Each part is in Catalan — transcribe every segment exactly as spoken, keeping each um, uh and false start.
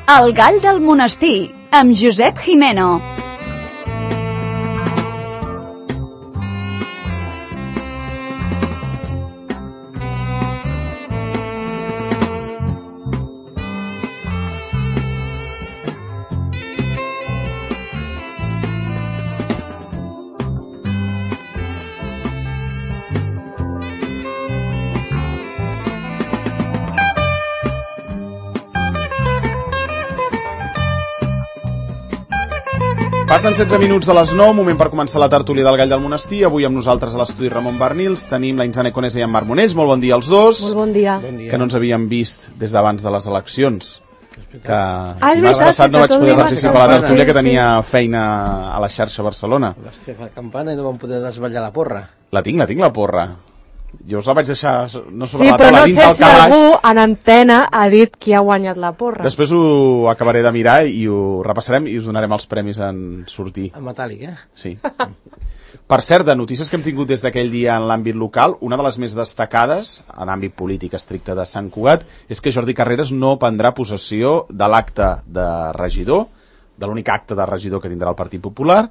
El gall del monestir, amb Josep Jimeno. Passen setze minuts de les nou, moment per començar la tertúlia del Gall del Monestir. Avui amb nosaltres a l'estudi Ramon Bernils tenim la Inzane Conesa i en Marc Monells. Molt bon dia als dos. Molt bon dia. Bon dia. Que no ens havíem vist des d'abans de les eleccions. Que ah, dimarts passat no vaig poder participar a la tertúlia, sí, que tenia sí. feina a la xarxa Barcelona. Vas fer la campana i no vam poder desvetllar la porra. La tinc, la tinc, la porra. Jo us la vaig deixar no sobre sí, la taula, no dins sé del si calaix. algú en antena ha dit qui ha guanyat la porra. Després ho acabaré de mirar i ho repassarem i us donarem els premis en sortir. En metàl·lic, eh? Sí. Per cert, de notícies que hem tingut des d'aquell dia en l'àmbit local, una de les més destacades, en àmbit polític estricte de Sant Cugat, és que Jordi Carreras no prendrà possessió de l'acte de regidor, de l'únic acte de regidor que tindrà el Partit Popular,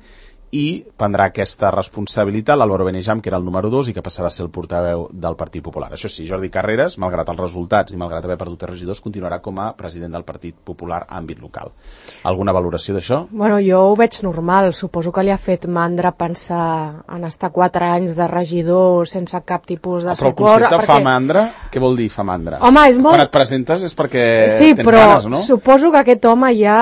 i prendrà aquesta responsabilitat l'Álvaro Benejam, que era el número dos i que passarà a ser el portaveu del Partit Popular. Això sí, Jordi Carreras, malgrat els resultats i malgrat haver perdut els regidors, continuarà com a president del Partit Popular a àmbit local. Alguna valoració d'això? Bueno, jo ho veig normal. Suposo que li ha fet mandra pensar en estar quatre anys de regidor sense cap tipus de Però el suport. concepte perquè... fa mandra, què vol dir fa mandra? Home, és molt... Quan et presentes és perquè sí, tens però ganes, no? suposo que aquest home ja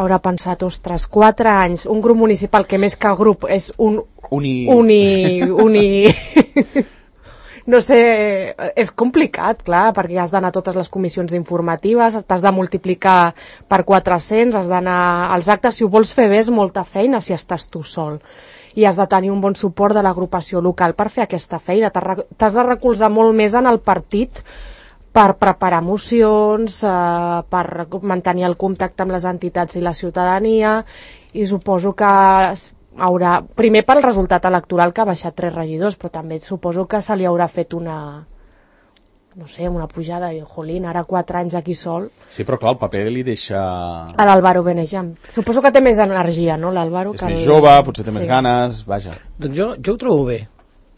haurà pensat, ostres, quatre anys, un grup municipal que més que grup és un uni... uni... uni... no sé, és complicat, clar, perquè has d'anar a totes les comissions informatives, t'has de multiplicar per quatre-cents, has d'anar als actes, si ho vols fer bé és molta feina si estàs tu sol. I has de tenir un bon suport de l'agrupació local per fer aquesta feina, t'has de recolzar molt més en el partit per preparar mocions, eh, per mantenir el contacte amb les entitats i la ciutadania, i suposo que haurà, primer pel resultat electoral que ha baixat tres regidors, però també suposo que se li haurà fet una, no sé, una pujada, i jolín, ara quatre anys aquí sol. Sí, però clar, el paper li deixa... A l'Álvaro Benejam. Suposo que té més energia, no, l'Álvaro? És més jove, potser té més ganes, vaja. Doncs jo, jo ho trobo bé.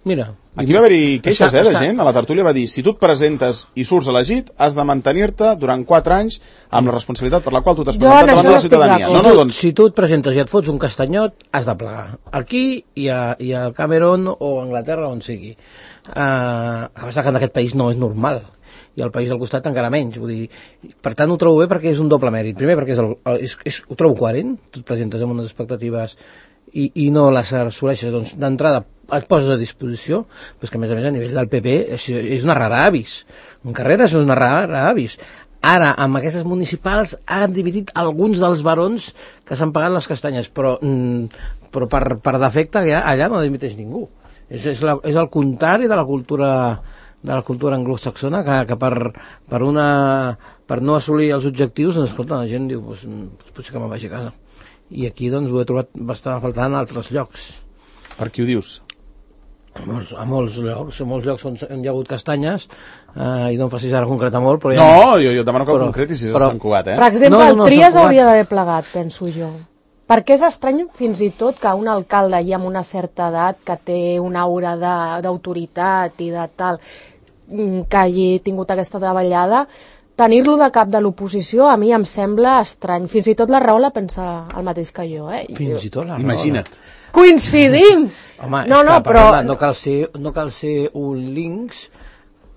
Mira... Aquí va haver-hi queixes, està, eh, de està. gent. A la tertúlia va dir, si tu et presentes i surts elegit, has de mantenir-te durant quatre anys amb la responsabilitat per la qual tu t'has presentat davant de la ciutadania. No, no, doncs... Si tu et presentes i et fots un castanyot, has de plegar. Aquí i a, i a Cameron o a Anglaterra, on sigui. Uh, que passa que en aquest país no és normal. I al país del costat encara menys. Vull dir, per tant, ho trobo bé perquè és un doble mèrit. Primer, perquè és el, és, és, ho trobo coherent. Tu et presentes amb unes expectatives i, i no les assoleixes. Doncs, d'entrada, et poses a disposició, però és que a més a més a nivell del P P és, és una rara avis. En Carreras és una rara avis. Ara, amb aquestes municipals, han dividit alguns dels barons que s'han pagat les castanyes, però, però per, per defecte allà, allà no dimiteix ningú. És, és, la, és el contrari de la cultura de la cultura anglosaxona, que, que per, per, una, per no assolir els objectius, doncs, escolta, la gent diu, pues, potser que me'n vagi a casa. I aquí doncs, ho he trobat bastant faltant en altres llocs. Per qui ho dius? A molts, a molts llocs, a molts llocs on hi ha hagut castanyes, eh, i no em facis ara concretar molt, però... Ja... No, jo, jo demano que però, concretis si és però... a Sant Cugat, eh? Per exemple, no, no, no, el Trias hauria d'haver plegat, penso jo. Perquè és estrany, fins i tot, que un alcalde ja amb una certa edat, que té una aura d'autoritat i de tal, que hagi tingut aquesta davallada, tenir-lo de cap de l'oposició a mi em sembla estrany. Fins i tot la Rahola pensa el mateix que jo, eh? Fins i tot la Rahola. Imagina't. Coincidim! Home, no, no, clar, però... Parla, no, cal ser, no cal ser un links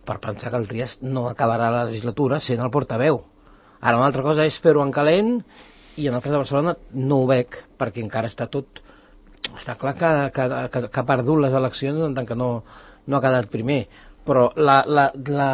per pensar que el Trias no acabarà la legislatura sent el portaveu. Ara, una altra cosa és fer-ho en calent, i en el cas de Barcelona no ho veig, perquè encara està tot... Està clar que, que, que, que ha perdut les eleccions en tant que no, no ha quedat primer. Però la, la, la,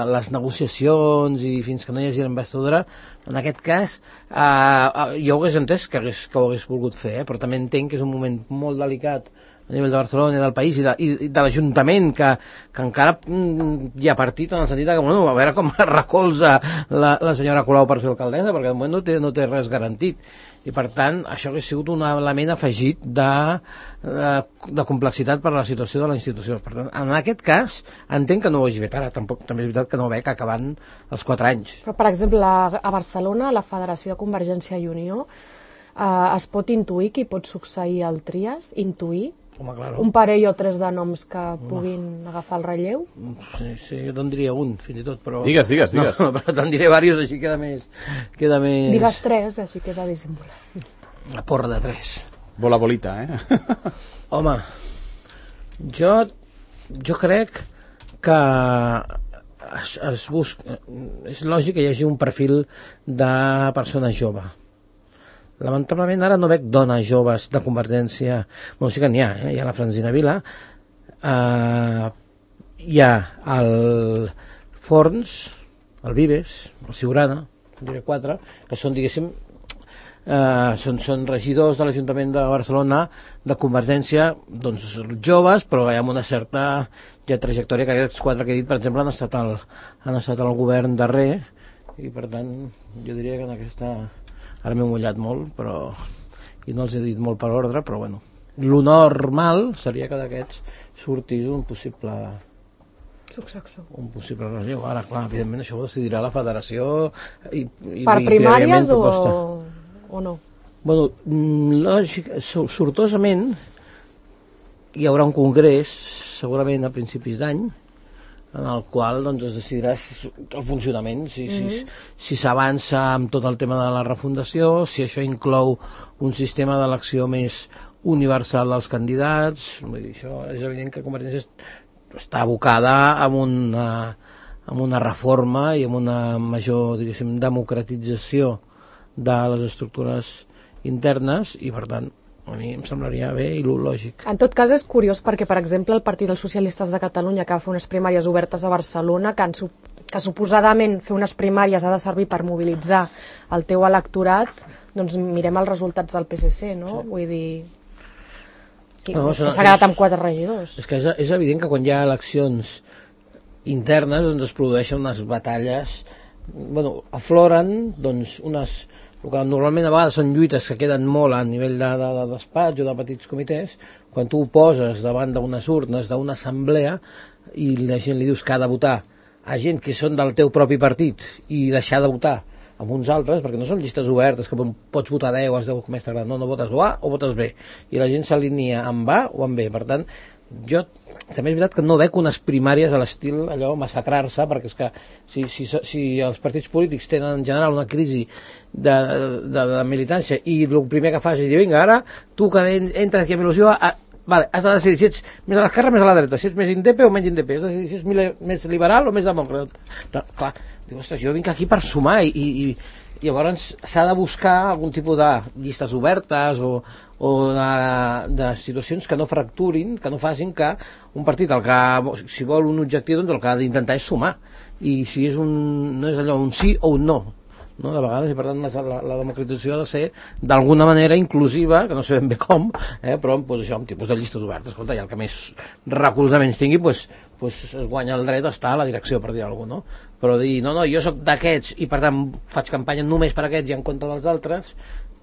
les negociacions i fins que no hi hagi l'investidura, en aquest cas, eh, jo ho hagués entès que, hagués, que ho hagués volgut fer, eh? Però també entenc que és un moment molt delicat a nivell de Barcelona i del país i de, i de l'Ajuntament, que, que encara mm, hi ha partit en el sentit que, bueno, a veure com recolza la, la senyora Colau per ser alcaldessa, perquè de moment no té, no té res garantit. I per tant, això hauria sigut un element afegit de, de, de complexitat per a la situació de la institució. Per tant, en aquest cas, entenc que no ho hagi fet ara, tampoc, també és veritat que no ho veig acabant els quatre anys. Però, per exemple, a Barcelona, la Federació de Convergència i Unió, eh, es pot intuir qui pot succeir el Trias? Intuir? Home, claro. Un parell o tres de noms que puguin agafar el relleu? Sí, sí, jo te'n diria un, fins i tot, però... Digues, digues, digues. No, però te'n diré diversos, així queda més... Queda més... Digues tres, així queda dissimulat. La porra de tres. Bola bolita, eh? Home, jo, jo crec que es, es busca... És lògic que hi hagi un perfil de persona jove. Lamentablement ara no veig dones joves de Convergència. Bueno, sí que n'hi ha, eh? Hi ha la Francina Vila, uh, hi ha el Forns, el Vives, el Siurana, diré quatre, que són, diguéssim, uh, són, són regidors de l'Ajuntament de Barcelona de Convergència, doncs joves, però amb una certa ja trajectòria, que aquests quatre que he dit, per exemple, han estat al, han estat al govern darrer, i per tant jo diria que en aquesta... Ara m'he mullat molt, però i no els he dit molt per ordre, però bueno, lo normal seria que d'aquests sortís un possible Successor. un possible relleu. Ara, clar, evidentment això ho decidirà la federació i, i per i primàries o, proposta. o no? Bueno, lògic, sortosament hi haurà un congrés segurament a principis d'any en el qual doncs, es decidirà el funcionament, si, mm-hmm. si, si s'avança amb tot el tema de la refundació, si això inclou un sistema d'elecció més universal dels candidats. Vull dir, això és evident que Convergència està abocada amb una, amb una reforma i amb una major, diguéssim, democratització de les estructures internes i, per tant, a mi em semblaria bé i lògic. En tot cas és curiós perquè, per exemple, el Partit dels Socialistes de Catalunya, que va fer unes primàries obertes a Barcelona, que, han, que suposadament fer unes primàries ha de servir per mobilitzar el teu electorat, doncs mirem els resultats del P S C, no? Sí. Vull dir... Que, no, que s'ha quedat amb quatre regidors. És que és, és evident que quan hi ha eleccions internes doncs es produeixen unes batalles, bueno, afloren doncs unes... El que normalment a vegades són lluites que queden molt a nivell de, de, de despatx o de petits comitès, quan tu ho poses davant d'unes urnes, d'una assemblea, i la gent li dius que ha de votar a gent que són del teu propi partit i deixar de votar amb uns altres, perquè no són llistes obertes que pots votar deu, has deu com més t'agrada, no, no votes o A o votes B, i la gent s'alinea amb A o amb B. Per tant, jo també és veritat que no veig unes primàries a l'estil allò massacrar-se, perquè és que si, si, si els partits polítics tenen en general una crisi de, de, de militància i el primer que fas és dir, vinga, ara tu que entres aquí a il·lusió, a, vale, has de decidir si ets més a l'esquerra o més a la dreta, si ets més indepe o menys indepe, has de decidir si ets més liberal o més demòcrata. Clar, diu, ostres, jo vinc aquí per sumar i, i, i llavors s'ha de buscar algun tipus de llistes obertes o, o de, de situacions que no fracturin, que no facin que un partit, el que, si vol un objectiu, doncs el que ha d'intentar és sumar, i si és un, no és allò un sí o un no, no? De vegades, i per tant la, la democratització ha de ser d'alguna manera inclusiva, que no sé ben bé com, eh? Però pues, això, amb tipus de llistes obertes. Escolta, i el que més recolzaments tingui, pues, pues es guanya el dret a estar a la direcció, per dir alguna cosa, no? Però dir, no, no, jo sóc d'aquests i per tant faig campanya només per aquests i en contra dels altres,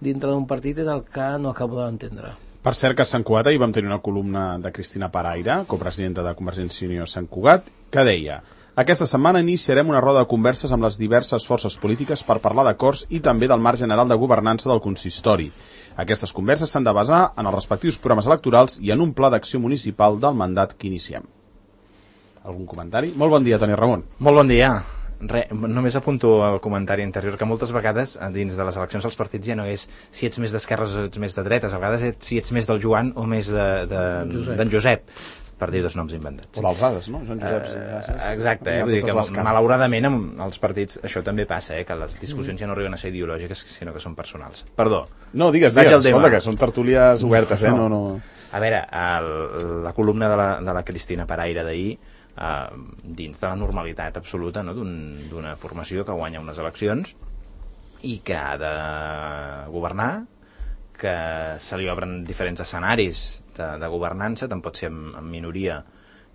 dintre d'un partit és el que no acabo d'entendre. Per cert que a Sant Cugat ahir vam tenir una columna de Cristina Paraire, copresidenta de Convergència i Unió a Sant Cugat, que deia: aquesta setmana iniciarem una roda de converses amb les diverses forces polítiques per parlar d'acords i també del marc general de governança del consistori. Aquestes converses s'han de basar en els respectius programes electorals i en un pla d'acció municipal del mandat que iniciem. Algun comentari? Molt bon dia, Toni Ramon. Molt bon dia. Re, només apunto al comentari anterior que moltes vegades dins de les eleccions dels partits ja no és si ets més d'esquerres o ets més de dretes, a vegades ets, si ets més del Joan o més d'en de, de, Josep. Josep, per dir dos noms inventats. O dels Ases, no? Joan Josep. Uh, exacte, eh? Vull dir que malauradament amb els partits això també passa, eh? Que les discussions mm. ja no arriben a ser ideològiques sinó que són personals. Perdó. No, digues, digues, escolta que són tertúlies obertes, eh? No, no. A veure, el, la columna de la, de la Cristina Paraire d'ahir, Uh, dins de la normalitat absoluta, no? D'una un, formació que guanya unes eleccions i que ha de governar, que se li obren diferents escenaris de, de governança, tant pot ser en, en minoria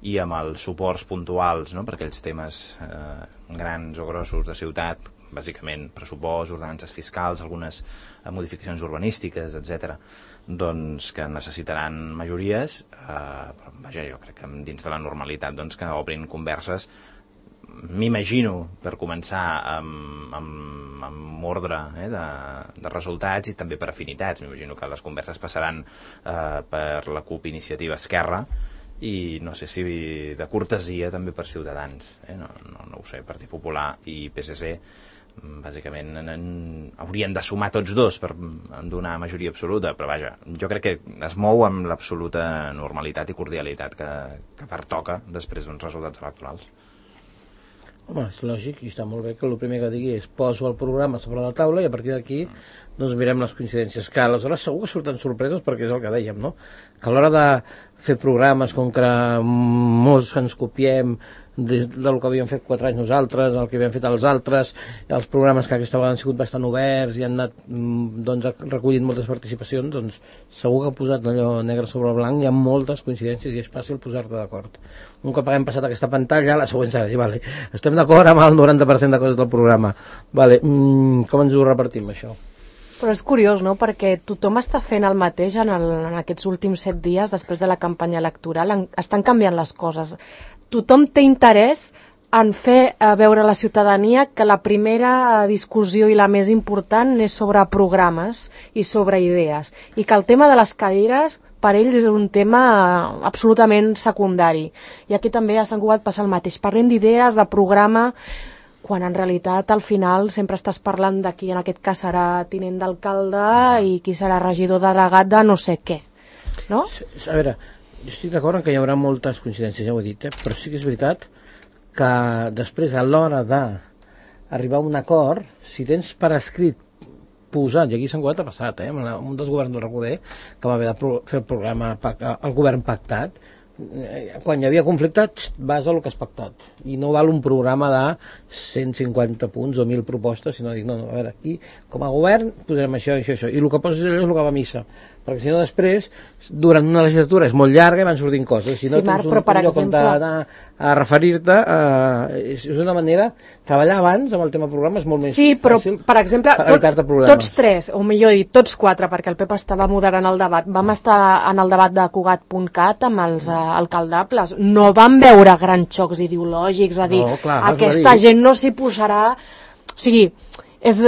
i amb els suports puntuals, no?, per aquells temes eh, grans o grossos de ciutat, bàsicament pressupost, ordenances fiscals, algunes eh, modificacions urbanístiques, etcètera, doncs que necessitaran majories, eh, però vaja, jo crec que dins de la normalitat doncs, que obrin converses, m'imagino, per començar amb, amb, amb ordre eh, de, de resultats i també per afinitats. M'imagino que les converses passaran eh, per la CUP Iniciativa Esquerra i no sé si de cortesia també per Ciutadans, eh? no, no, no ho sé, Partit Popular i P S C bàsicament en, en, haurien de sumar tots dos per donar majoria absoluta, però vaja, jo crec que es mou amb l'absoluta normalitat i cordialitat que, que pertoca després d'uns resultats electorals. Home, és lògic i està molt bé que el primer que digui és poso el programa sobre la taula i a partir d'aquí doncs mirem les coincidències, que aleshores segur que surten sorpreses perquè és el que dèiem, no? Que a l'hora de fer programes com que molts ens copiem des del que havíem fet quatre anys nosaltres, el que havíem fet els altres, els programes que aquesta vegada han sigut bastant oberts i han anat doncs, recollint moltes participacions, doncs segur que ha posat allò negre sobre blanc, hi ha moltes coincidències i és fàcil posar-te d'acord. Un cop haguem passat aquesta pantalla, la següent serà dir, vale, estem d'acord amb el noranta per cent de coses del programa, vale, mm, com ens ho repartim això? Però és curiós, no?, perquè tothom està fent el mateix en, el, en aquests últims set dies després de la campanya electoral, en, estan canviant les coses. Tothom té interès en fer a veure a la ciutadania que la primera discussió i la més important és sobre programes i sobre idees, i que el tema de les cadires per ells és un tema absolutament secundari. I aquí també a Sant Cugat passa el mateix. Parlem d'idees, de programa, quan en realitat al final sempre estàs parlant de qui en aquest cas serà tinent d'alcalde i qui serà regidor delegat de no sé què, no? A veure, jo estic d'acord en que hi haurà moltes coincidències, ja ho he dit, eh? Però sí que és veritat que després a l'hora d'arribar a un acord, si tens per escrit posat, i aquí a Sant Cugat ha passat, eh? amb un dels governs del Recoder, que va haver de fer el programa, el govern pactat, quan hi havia conflicte vas a lo que has pactat i no val un programa de cent cinquanta punts o mil propostes, sinó dir, no, no, a veure, aquí com a govern posarem això, això, això, i el que poses allò és el que va a missa, perquè si no després durant una legislatura és molt llarga i van sortint coses, si no sí, Marc, tens un, un lloc exemple... on anar a referir-te eh, és, és una manera, treballar abans amb el tema programa és molt més sí, però, fàcil per exemple, tot, tots tres, o millor dit, tots quatre, perquè el Pep estava moderant el debat, vam estar en el debat de Cugat punt cat amb els eh, alcaldables, no vam veure grans xocs ideològics, a dir, no, clar, aquesta gent no s'hi posarà, o sigui, és,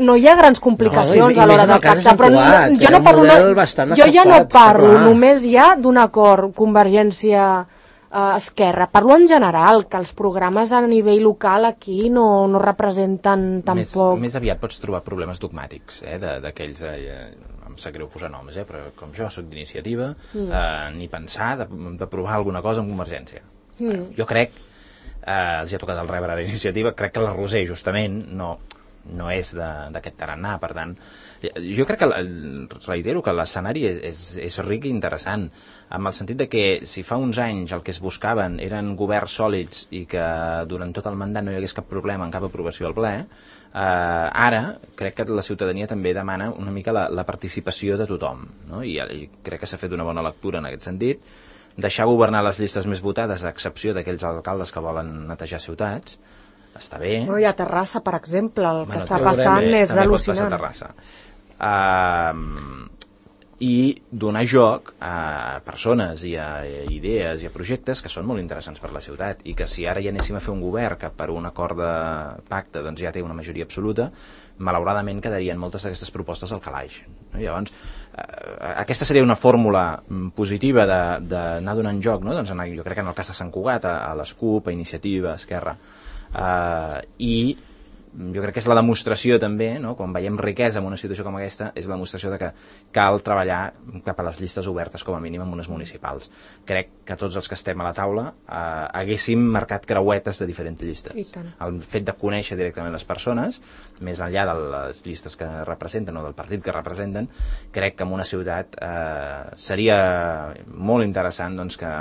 no hi ha grans complicacions no, i, a l'hora del pacte, però no, jo, no parlo, no, jo ja no parlo només ja d'un acord Convergència eh, Esquerra, parlo en general que els programes a nivell local aquí no, no representen tampoc més, més aviat pots trobar problemes dogmàtics eh, d'aquells eh, em sap greu posar noms, eh, però com jo soc d'iniciativa mm. eh, ni pensar de, de provar alguna cosa amb Convergència mm. eh, jo crec Eh, els hi ha tocat el rebre a la iniciativa, crec que la Roser justament no, no és d'aquest tarannà, per tant jo crec que, reitero que l'escenari és, és, és ric i interessant amb el sentit de que si fa uns anys el que es buscaven eren governs sòlids i que durant tot el mandat no hi hagués cap problema en cap aprovació al ple, eh, ara crec que la ciutadania també demana una mica la, la participació de tothom, no? I, i crec que s'ha fet una bona lectura en aquest sentit, deixar governar les llistes més votades a excepció d'aquells alcaldes que volen netejar ciutats està bé. Però hi ha Terrassa, per exemple, el que bueno, està passant també, és també al·lucinant. Pot passar a Terrassa. Uh, i donar joc a persones i a, a idees i a projectes que són molt interessants per la ciutat i que si ara ja anéssim a fer un govern que per un acord de pacte doncs ja té una majoria absoluta, malauradament quedarien moltes d'aquestes propostes al calaix. No? Llavors, eh, aquesta seria una fórmula positiva d'anar donant joc, no? Doncs en, jo crec que en el cas de Sant Cugat, a, a les CUP, a Iniciativa, a Esquerra, eh, i jo crec que és la demostració també, no? Quan veiem riquesa en una situació com aquesta, és la demostració de que cal treballar cap a les llistes obertes, com a mínim en unes municipals. Crec que tots els que estem a la taula eh, haguéssim marcat creuetes de diferents llistes. El fet de conèixer directament les persones, més enllà de les llistes que representen o del partit que representen, crec que en una ciutat eh, seria molt interessant doncs, que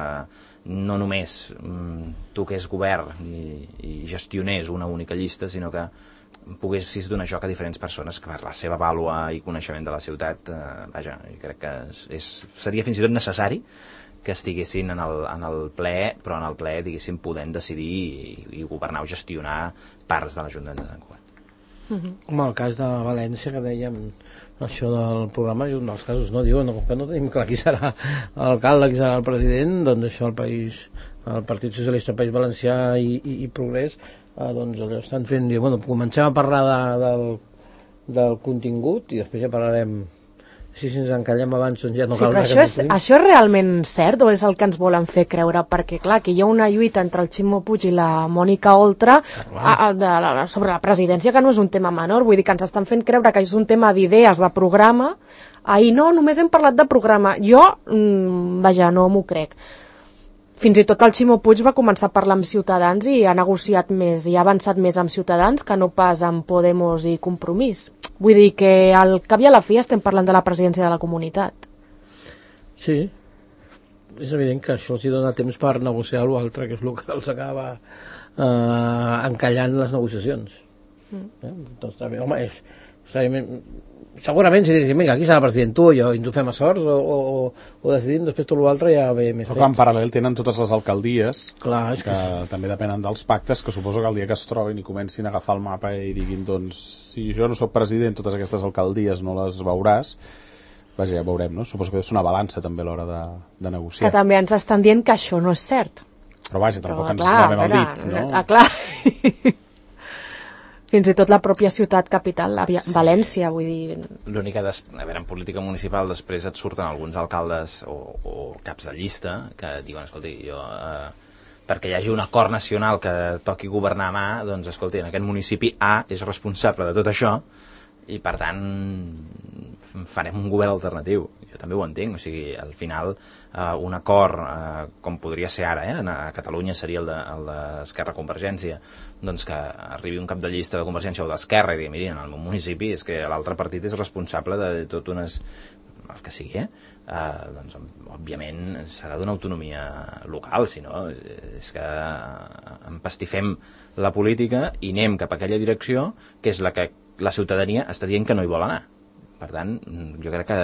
no només mm, tu que és govern i, i gestionés una única llista, sinó que poguessis donar joc a diferents persones que per la seva vàlua i coneixement de la ciutat, eh, vaja, crec que és, és, seria fins i tot necessari que estiguessin en el, en el ple, però en el ple, diguéssim, podent decidir i, i governar o gestionar parts de l'Ajuntament de Sant Cugat. Uh-huh. Com el cas de València, que dèiem això del programa, és un dels casos, no? Diuen, com que no tenim clar qui serà l'alcalde, qui serà el president, doncs això el país, el Partit Socialista País Valencià i, i, i Progrés, eh, doncs allò estan fent, diu, bueno, comencem a parlar de, del, del contingut i després ja parlarem, si ens encallem abans doncs ja no sí, cal però això és, això és realment cert o és el que ens volen fer creure? Perquè clar, que hi ha una lluita entre el Ximo Puig i la Mònica Oltra a, a, de, la, sobre la presidència, que no és un tema menor, vull dir que ens estan fent creure que és un tema d'idees, de programa. Ahir no, només hem parlat de programa. Jo, mmm, vaja, no m'ho crec. Fins i tot el Ximo Puig va començar a parlar amb Ciutadans i ha negociat més i ha avançat més amb Ciutadans que no pas amb Podemos i Compromís. Vull dir que al cap i a la fi estem parlant de la presidència de la comunitat. Sí, és evident que això els hi dona temps per negociar l'altre, que és el que els acaba eh, encallant les negociacions. Mm. Eh? Doncs també, home, és, segurament si diguéssim, vinga, aquí serà el president, tu i jo, i ens ho fem a sorts, o, o, o decidim, després tot l'altre ja ve més fet. Però en paral·lel tenen totes les alcaldies, clar, és que, que també depenen dels pactes, que suposo que el dia que es trobin i comencin a agafar el mapa i diguin, doncs, si jo no sóc president, totes aquestes alcaldies no les veuràs, vaja, ja veurem, no? Suposo que és una balança també a l'hora de, de negociar. Que també ens estan dient que això no és cert. Però vaja, tampoc Però, ens clar, lavem el dit, no? Ah, clar. Fins i tot la pròpia ciutat capital, la sí. València, vull dir... L'únic que, des... a veure, en política municipal després et surten alguns alcaldes o, o caps de llista que diuen, escolti, jo... Eh, perquè hi hagi un acord nacional que toqui governar a mà, doncs, escolti, en aquest municipi A és responsable de tot això i, per tant, farem un govern alternatiu. Jo també ho entenc, o sigui, al final eh, un acord, eh, com podria ser ara, eh, a Catalunya seria el d'Esquerra de, Convergència, doncs que arribi un cap de llista de Convergència o d'Esquerra i digui, mirin, en el meu municipi és que l'altre partit és responsable de tot unes... el que sigui, eh? Eh, doncs, òbviament, serà d'una autonomia local, si no, és que empastifem la política i anem cap a aquella direcció que és la que la ciutadania està dient que no hi vol anar. Per tant, jo crec que,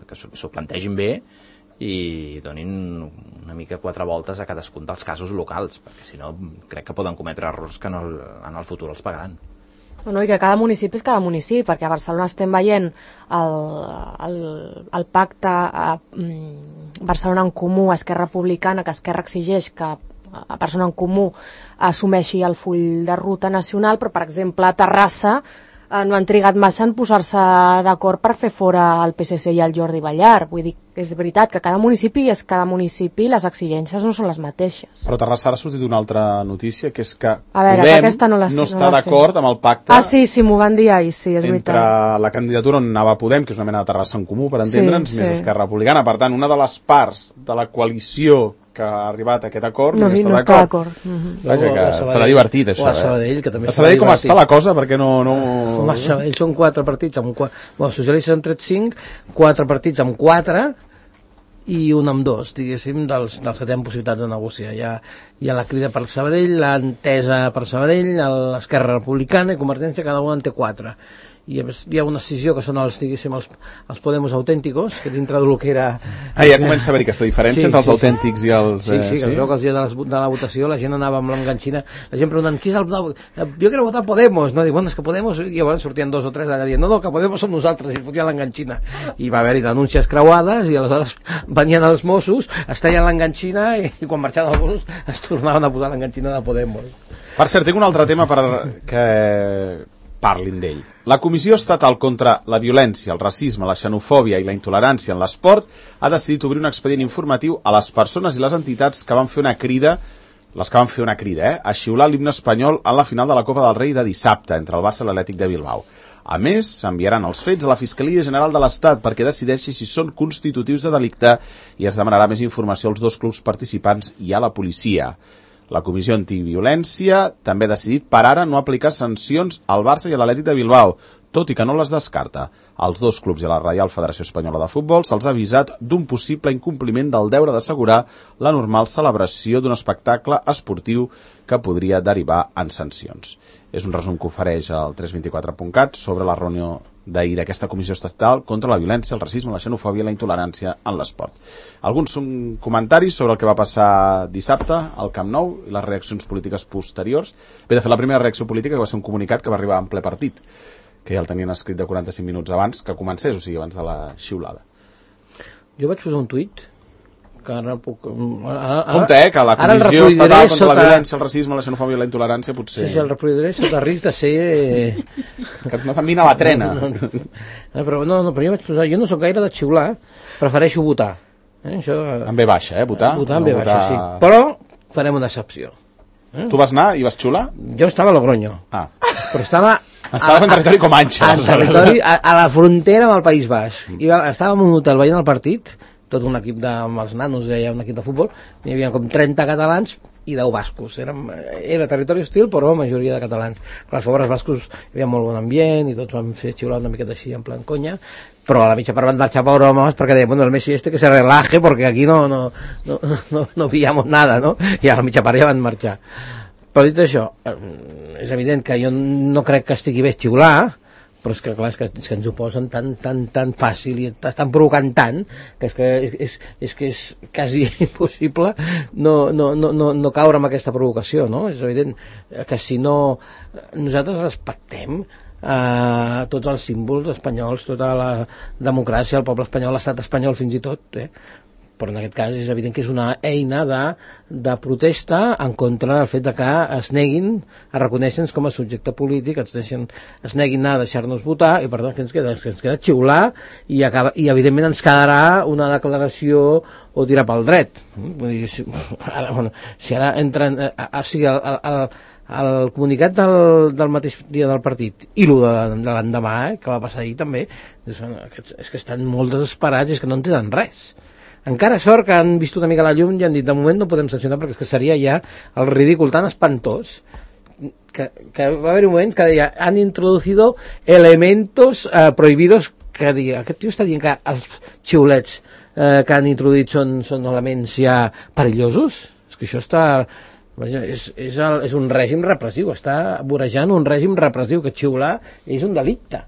que s'ho plantegin bé i donin una mica quatre voltes a cadascun dels casos locals, perquè si no crec que poden cometre errors que en el, en el futur els pagaran. Bueno, i que cada municipi és cada municipi, perquè a Barcelona estem veient el, el, el pacte a, mm, Barcelona en Comú, Esquerra Republicana, que Esquerra exigeix que a Barcelona en Comú assumeixi el full de ruta nacional, però per exemple a Terrassa eh, no han trigat massa en posar-se d'acord per fer fora el P S C i el Jordi Ballar. Vull dir, és veritat que cada municipi és cada municipi, les exigències no són les mateixes. Però a Terrassa ha sortit una altra notícia, que és que a veure, Podem que no, la, no no està d'acord amb el pacte ah, sí, sí, m'ho van dir ahir, sí, és entre veritat. la candidatura on anava Podem, que és una mena de Terrassa en Comú, per entendre'ns, sí, més sí. Esquerra Republicana. Per tant, una de les parts de la coalició que ha arribat a aquest acord no, no, sí, està no d'acord. està d'acord. Uh-huh. Vaja, que serà divertit, això. O a Sabadell, que també a Sabadell com està la cosa, perquè no... no... A Sabadell són quatre partits, amb quatre... Bueno, els socialistes han tret cinc, quatre partits amb quatre i un amb dos, diguéssim, dels, dels que tenen possibilitats de negociar. Hi ha, hi ha la crida per Sabadell, l'entesa per Sabadell, l'Esquerra Republicana i Convergència, cada un en té quatre. I hi ha una decisió que són els, diguéssim, els, els Podemos autènticos, que dintre del que era... Ah, ja comença a haver aquesta diferència sí, entre els sí, autèntics i els... Sí, sí, que sí? veu que els dies de, les, de la votació la gent anava amb l'enganxina, la gent preguntant, qui és el... Jo quiero votar Podemos, no? Dic, bueno, és que Podemos... I llavors sortien dos o tres allà dient, no, no, que Podemos som nosaltres, i fotien l'enganxina. I va haver-hi denúncies creuades, i aleshores venien els Mossos, es tallen l'enganxina, i, i quan marxaven els Mossos es tornaven a posar l'enganxina de Podemos. Per cert, tinc un altre tema per que parlin d'ell. La Comissió Estatal contra la Violència, el Racisme, la Xenofòbia i la Intolerància en l'Esport ha decidit obrir un expedient informatiu a les persones i les entitats que van fer una crida, les que van fer una crida, eh, a xiular l'himne espanyol en la final de la Copa del Rei de dissabte entre el Barça i l'Atlètic de Bilbao. A més, s'enviaran els fets a la Fiscalia General de l'Estat perquè decideixi si són constitutius de delicte i es demanarà més informació als dos clubs participants i a la policia. La Comissió Antiviolència també ha decidit per ara no aplicar sancions al Barça i a l'Atlètic de Bilbao, tot i que no les descarta. Als dos clubs i a la Reial Federació Espanyola de Futbol se'ls ha avisat d'un possible incompliment del deure d'assegurar la normal celebració d'un espectacle esportiu que podria derivar en sancions. És un resum que ofereix el tres vint quatre punt cat sobre la reunió d'ahir d'aquesta Comissió Estatal contra la violència, el racisme, la xenofòbia i la intolerància en l'esport. Alguns són comentaris sobre el que va passar dissabte al Camp Nou i les reaccions polítiques posteriors. Bé, de fet, la primera reacció política que va ser un comunicat que va arribar en ple partit, que ja el tenien escrit de quaranta-cinc minuts abans que comencés, o sigui, abans de la xiulada. Jo vaig posar un tuit que ara puc... Ara, ara, compte, eh, que la Comissió Estatal contra sota... la violència, el racisme, la xenofòbia i la intolerància potser... Sí, sí, el reproduiré sota risc de ser... que no t'envina la trena. No, no, no, però, no, no, però jo vaig posar... Jo no sóc gaire de xiular, prefereixo votar. Eh? Això... En B baixa, eh, votar? Votar en no B baixa, votar... sí. Però farem una excepció. Eh? Tu vas anar i vas xiular? Jo estava a Logroño. Ah. Però estava... Estaves en territori Comanche. En territori, a, a la frontera amb el País Basc. I va, estàvem en un hotel veient el partit, tot un equip de, amb els nanos, hi havia un equip de futbol, hi havia com trenta catalans i deu bascos. Era, era territori hostil, però majoria de catalans. Clar, els pobres bascos hi havia molt bon ambient i tots vam fer xiular una miqueta així en plan conya, però a la mitja part van marxar pobre homes perquè deien, bueno, el Messi este que se relaje porque aquí no, no, no, no, no pillamos nada, no? I a la mitja part ja van marxar. Però dit això, és evident que jo no crec que estigui bé xiular, però és que clar, és que, és que ens ho posen tan, tan, tan fàcil i estan provocant tant que és que és, és, és, que és quasi impossible no, no, no, no, no caure en aquesta provocació, no? És evident que si no nosaltres respectem eh, tots els símbols espanyols, tota la democràcia, el poble espanyol, l'estat espanyol fins i tot, eh? Però en aquest cas és evident que és una eina de, de protesta en contra del fet de que es neguin a reconèixer-nos com a subjecte polític, es, deixen, es neguin a deixar-nos votar, i per tant que ens queda, que ens queda xiular i, acaba, i evidentment ens quedarà una declaració o tirar pel dret. Vull dir, si, ara, bueno, si ara entren... O sigui, el, el, el comunicat del, del mateix dia del partit i el de, de l'endemà, eh, que va passar ahir també, és, és que estan molt desesperats i és que no entenen res. Encara sort que han vist una mica la llum i han dit de moment no podem sancionar perquè és que seria ja el ridícul tan espantós que, que va haver un moment que deia han introducido elementos eh, prohibidos, que diga, aquest tio està dient que els xiulets eh, que han introduït són, són elements ja perillosos. És que això està... És, és, el, és un règim repressiu, està vorejant un règim repressiu, que xiular és un delicte.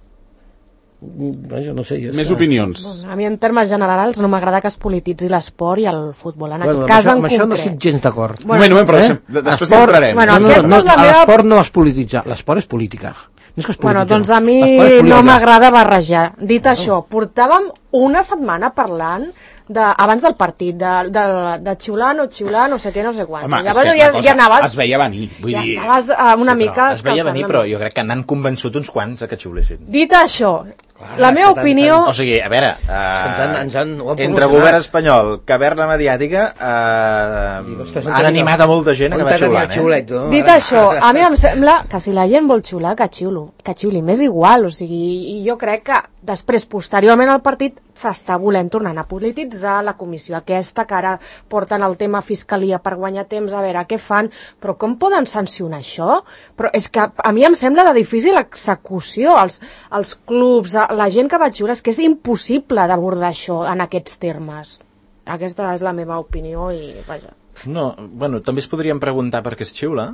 Vaja, no sé, jo més està... opinions. Bueno, a mi en termes generals no m'agrada que es polititzi l'esport i el futbol en bueno, aquest cas això, en concret. Això no estic gens d'acord. Bueno, moment, moment, però eh? deixem, després esport, entrarem. Bueno, no, no, no, no, és la meva... l'esport no es polititza, l'esport és política. No és que es bueno, polititza, doncs a mi no m'agrada barrejar. Dit no. això, portàvem una setmana parlant de, abans del partit, de, de, de xiular, no xiular, no sé què, no sé quant. Home, llavors ja, ja anaves... Es veia venir. Vull ja dir... estaves uh, una sí, mica... Es veia venir, però jo crec que n'han convençut uns quants a que xiulessin. Dit això, clar, la meva opinió... O sigui, a veure, uh, ens han, ens han, entre govern espanyol, caverna mediàtica, uh, han animat a molta gent a que va xiulant. Xiulet, no? Dit això, a mi em sembla que si la gent vol xiular, que xiulo, que xiuli, m'és igual, o sigui, i jo crec que després, posteriorment al partit, s'està volent tornar a polititzar la comissió aquesta, que ara porten el tema fiscalia per guanyar temps, a veure què fan, però com poden sancionar això? Però és que a mi em sembla de difícil execució, els, els clubs, la gent que va xiular, és que és impossible d'abordar això en aquests termes. Aquesta és la meva opinió i vaja. No, bueno, també es podríem preguntar per què es xiula.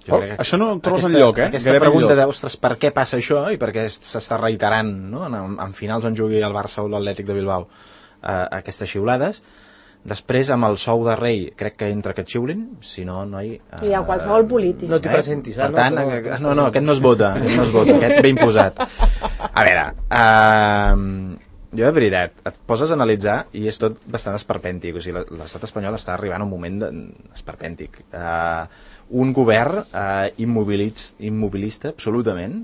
Oh, això no ho trobes enlloc, eh? Aquesta Gairebé pregunta enlloc. de, ostres, per què passa això i per què s'està reiterant, no? en, en finals on jugui el Barça o l'Atlètic de Bilbao eh, aquestes xiulades. Després, amb el sou de rei, crec que entra que et xiulin, si no, noi... Eh, I a qualsevol polític. No t'hi presentis, eh? eh? Per tant, no, no, no, no, aquest no es vota, aquest no es vota, aquest ve imposat. A veure, eh, jo de veritat, et poses a analitzar i és tot bastant esperpèntic, o sigui, l'estat espanyol està arribant a un moment de... esperpèntic. Eh, un govern eh, immobilista, immobilista absolutament,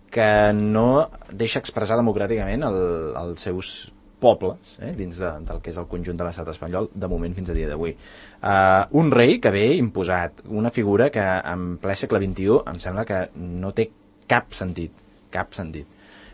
que no deixa expressar democràticament el, els seus pobles, eh, dins de, del que és el conjunt de l'estat espanyol, de moment fins a dia d'avui. Uh, un rei que ve imposat, una figura que en ple segle vint-i-u em sembla que no té cap sentit, cap sentit.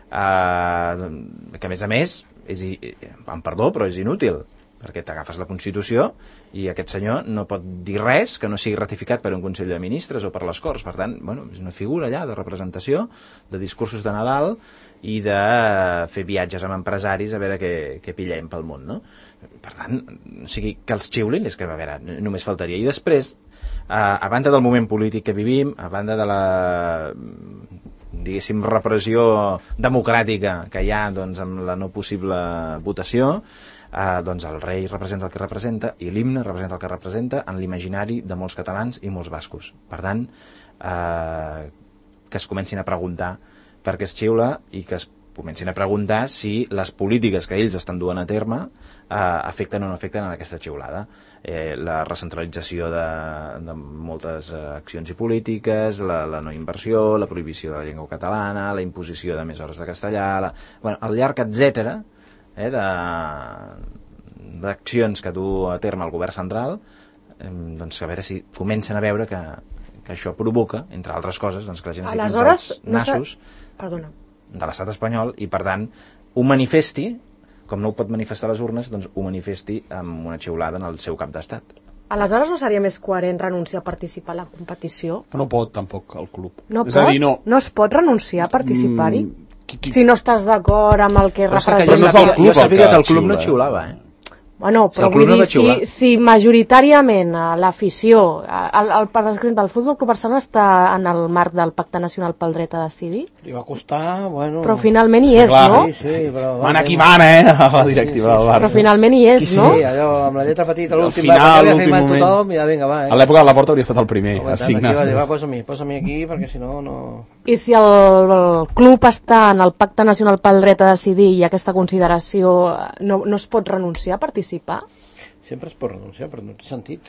Uh, que a més a més, és, em perdó, però és inútil. perquè t'agafes la Constitució i aquest senyor no pot dir res que no sigui ratificat per un Consell de Ministres o per les Corts. Per tant, bueno, és una figura allà de representació, de discursos de Nadal i de fer viatges amb empresaris a veure què, què pillem pel món, no? Per tant, o sigui, que els xiulin és que, a veure, només faltaria. I després, a, a banda del moment polític que vivim, a banda de la, diguéssim, repressió democràtica que hi ha, doncs, amb la no possible votació, eh, doncs el rei representa el que representa i l'himne representa el que representa en l'imaginari de molts catalans i molts bascos. Per tant, eh, que es comencin a preguntar per què es xiula i que es comencin a preguntar si les polítiques que ells estan duent a terme eh, afecten o no afecten en aquesta xiulada. Eh, la recentralització de, de moltes eh, accions i polítiques, la, la no inversió, la prohibició de la llengua catalana, la imposició de més hores de castellà, la, bueno, el llarg etcètera eh, d'accions que du a terme el govern central, eh, doncs a veure si comencen a veure que, que això provoca, entre altres coses, doncs que la gent es fiqui els nassos no de l'estat espanyol i, per tant, ho manifesti, com no ho pot manifestar a les urnes, doncs ho manifesti amb una xiulada en el seu cap d'estat. Aleshores no seria més coherent renunciar a participar a la competició? No pot, tampoc, el club. No és pot? A dir, no. No es pot renunciar a participar-hi? Mm, qui, qui... Si no estàs d'acord amb el que Però representa... jo sabia, club jo sabia que que el club xiula, no xiulava, eh? Bueno, però Si el vull club no dir, va xiular. si, si majoritàriament eh, l'afició, el, el, per exemple, el Futbol Club Barcelona està en el marc del Pacte Nacional pel Dret a Decidir, Li va costar, bueno... però finalment hi Sí, és, clar. no? Sí, sí, però... Mana qui mana, eh? La directiva del Barça. Però finalment hi és, Sí, no? sí, allò, amb la lletra petita, Al l'últim final, va, que havia l'últim firmat moment. tothom, i ja, vinga, va, eh? A l'època de la Porta hauria estat el primer a Aguantant, signar. aquí, va Sí. dir, va, posa-m'hi, posa-m'hi aquí, perquè si no, no... I si el, el club està en el Pacte Nacional pel Dret a Decidir i aquesta consideració, no, no es pot renunciar a participar? Sempre es pot renunciar, però no té sentit.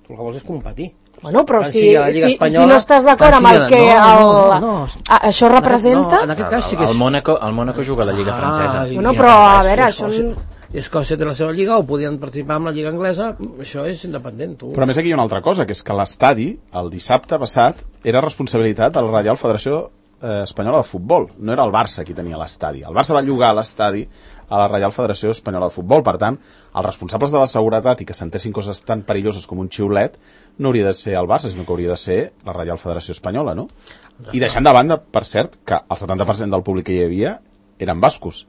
Tu el que vols és competir. Bueno, però Tant si, sigui a la Lliga si, Espanyola, si no estàs d'acord tant amb el sigui que a la- no, el, no, no, no. a- això representa... No, en aquest cas sí que El és... Mónaco, el Mónaco juga a la Lliga francesa. i- Bueno, i però, no a res, veure, i això... Escòcia- I Escòcia té la seva lliga, o podien participar amb la lliga anglesa, això és independent, tu. Però a més aquí hi ha una altra cosa, que és que l'estadi, el dissabte passat, era responsabilitat de la Reial Federació eh, Espanyola de Futbol. No era el Barça qui tenia l'estadi. El Barça va llogar l'estadi a la Reial Federació Espanyola de Futbol. Per tant, els responsables de la seguretat i que s'entessin coses tan perilloses com un xiulet no hauria de ser el Barça, sinó que hauria de ser la Reial Federació Espanyola, no? I deixant de banda, per cert, que el setanta per cent del públic que hi havia eren bascos.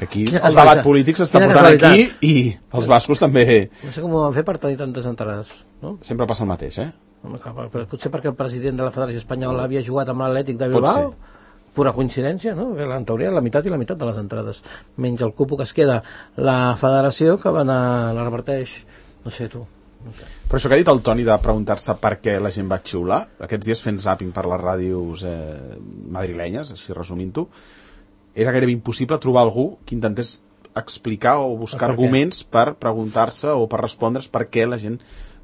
Que aquí Quina el debat casualitat. polític s'està Quina portant aquí casualitat. i els bascos també No sé com ho van fer per tenir tantes entrades, no? sempre passa el mateix, eh? Home, clar, però potser perquè el president de la Federació Espanyola havia jugat amb l'Atlètic de Pot Bilbao, ser. pura coincidència, no? Que en teoria la meitat i la meitat de les entrades, menys el cupo que es queda la Federació, que van a, la reparteix, no sé tu, no sé. Però això que ha dit el Toni de preguntar-se per què la gent va xiular, aquests dies fent zàping per les ràdios eh, madrilenyes, així resumint-ho, era gairebé impossible trobar algú que intentés explicar o buscar Per què? arguments per preguntar-se o per respondre's per què la gent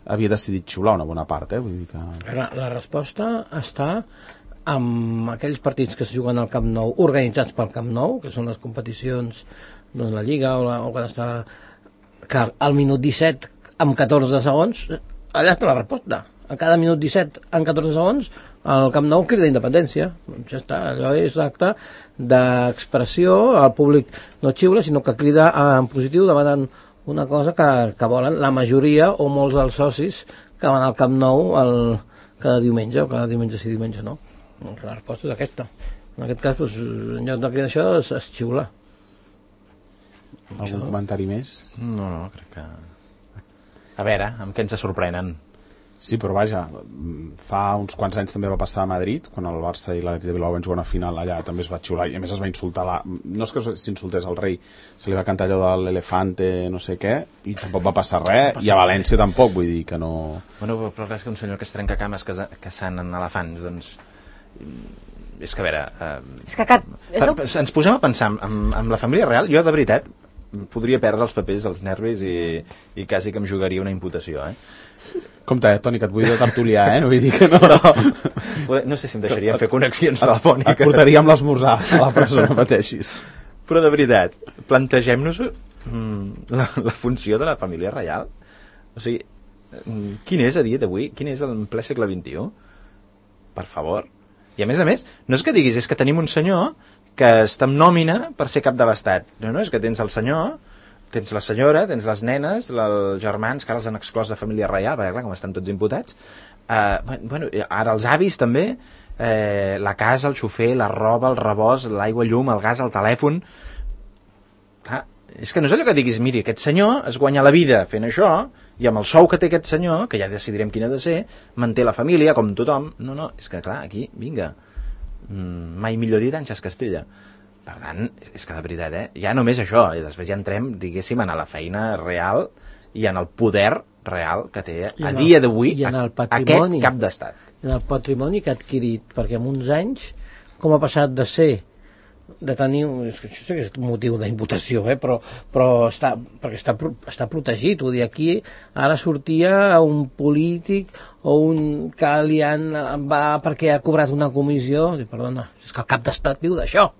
havia decidit xiular una bona part, eh? Vull dir que... La, la resposta està amb aquells partits que es juguen al Camp Nou, organitzats pel Camp Nou, que són les competicions, doncs la Lliga o, la, o quan està que al minut disset amb catorze segons, allà està la resposta. A cada minut disset amb catorze segons el Camp Nou crida independència. Doncs ja està, allò és acte d'expressió, el públic no xiula, sinó que crida en positiu demanant una cosa que, que volen la majoria o molts dels socis que van al Camp Nou el, cada diumenge, o cada diumenge sí, diumenge no. La resposta és aquesta. En aquest cas, doncs, en lloc de cridar això, es, es xiula. Algun Això... comentari més? No, no, crec que... A veure, amb què ens sorprenen? Sí, però vaja, fa uns quants anys també va passar a Madrid, quan el Barça i l'Atlètic de Bilbao van jugar una final allà, també es va xiular, i a més es va insultar, la... no és que s'insultés el rei, se li va cantar allò de l'elefante, no sé què, i tampoc va passar res, i a València tampoc, vull dir que no... Bueno, però clar, és que un senyor que es trenca cames que, que sanen elefants, doncs... És que, a veure... Eh, És que aquest... És el... per, ens posem a pensar amb, amb la família real, jo de veritat podria perdre els papers, els nervis i, i quasi que em jugaria una imputació, eh? Compte, eh, Toni, que et vull de tertulià, eh? Vull dir que no... Però... No sé si em deixarien fer connexions telefòniques. Et portaríem l'esmorzar a la presó, no pateixis. Però de veritat, plantegem-nos mm, la, la funció de la família reial. O sigui, mm, quin és a dia d'avui? Quin és en ple segle vint-i-u? Per favor. I a més a més, no és que diguis, és que tenim un senyor que està en nòmina per ser cap de l'Estat. No, no, és que tens el senyor, tens la senyora, tens les nenes, els germans, que ara els han exclòs de família reial, perquè clar, com estan tots imputats, eh, bueno, ara els avis també, eh, la casa, el xofer, la roba, el rebost, l'aigua, llum, el gas, el telèfon... Clar, és que no és allò que diguis, miri, aquest senyor es guanya la vida fent això, i amb el sou que té aquest senyor, que ja decidirem quin ha de ser, manté la família, com tothom. No, no, és que clar, aquí, vinga, mm, mai millor dit, Àngels Castella. Per tant, és que de veritat, eh? Ja només això, i després ja entrem, diguéssim, a la feina real i en el poder real que té a dia d'avui aquest cap d'estat. I en el patrimoni que ha adquirit, perquè en uns anys, com ha passat de ser de tenir, és que això sí que és un motiu d'imputació, eh? però, però està, perquè està, està protegit, vull dir, aquí ara sortia un polític o un que li han, va perquè ha cobrat una comissió, i, perdona, és que el cap d'estat viu d'això,